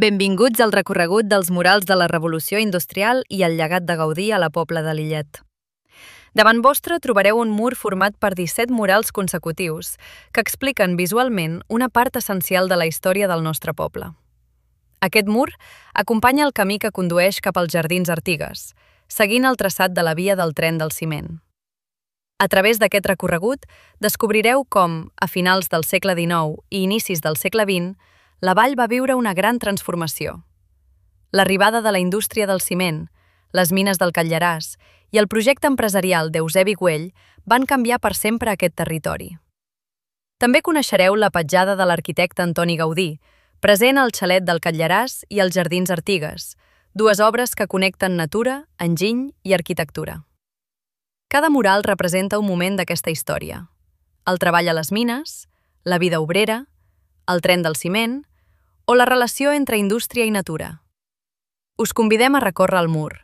Benvinguts al recorregut dels murals de la Revolució Industrial i el llegat de Gaudí a la Pobla de Lillet. Davant vostre trobareu un mur format per 17 murals consecutius que expliquen visualment una part essencial de la història del nostre poble. Aquest mur acompanya el camí que condueix cap als Jardins Artigues, seguint el traçat de la via del tren del ciment. A través d'aquest recorregut descobrireu com, a finals del segle XIX i inicis del segle XX, la vall va viure una gran transformació. L'arribada de la indústria del ciment, les mines del Catlllaràs i el projecte empresarial d'Eusebi Güell van canviar per sempre aquest territori. També coneixereu la petjada de l'arquitecte Antoni Gaudí, present al xalet del Catlllaràs i als Jardins Artigues, dues obres que connecten natura, enginy i arquitectura. Cada mural representa un moment d'aquesta història. El treball a les mines, la vida obrera, el tren del ciment o la relació entre indústria i natura. Us convidem a recórrer el mur,